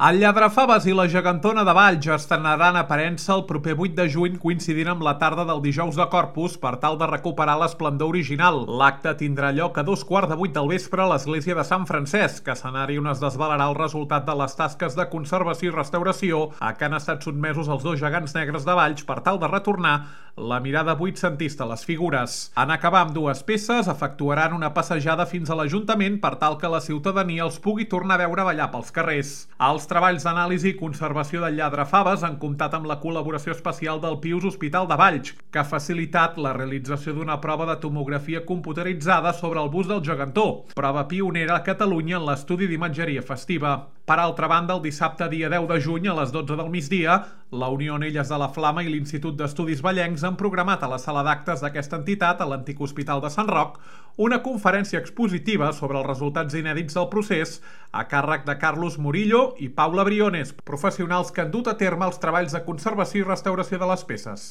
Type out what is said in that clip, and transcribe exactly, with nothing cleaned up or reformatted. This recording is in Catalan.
El Lladrafaves i la Gegantona de Valls estrenaran aparença el proper vuit de juny coincidint amb la tarda del dijous de Corpus per tal de recuperar l'esplendor original. L'acte tindrà lloc a dos quarts de vuit del vespre a l'església de Sant Francesc, escenari on es desvelarà el resultat de les tasques de conservació i restauració a què han estat sotmesos els dos gegants negres de Valls per tal de retornar la mirada vuitcentista a les figures. En acabar amb dues peces, efectuaran una passejada fins a l'Ajuntament per tal que la ciutadania els pugui tornar a veure ballar pels carrers. Els treballs d'anàlisi i conservació del Lladrafaves han comptat amb la col·laboració especial del Pius Hospital de Valls, que ha facilitat la realització d'una prova de tomografia computeritzada sobre el bust del gegantó, prova pionera a Catalunya en l'estudi d'imatgeria festiva. Per altra banda, el dissabte dia deu de juny a les dotze del migdia, la Unió Onelles de la Flama i l'Institut d'Estudis Vallencs han programat a la sala d'actes d'aquesta entitat, a l'antic Hospital de Sant Roc, una conferència expositiva sobre els resultats inèdits del procés a càrrec de Carlos Murillo i Paula Briones, professionals que han dut a terme els treballs de conservació i restauració de les peces.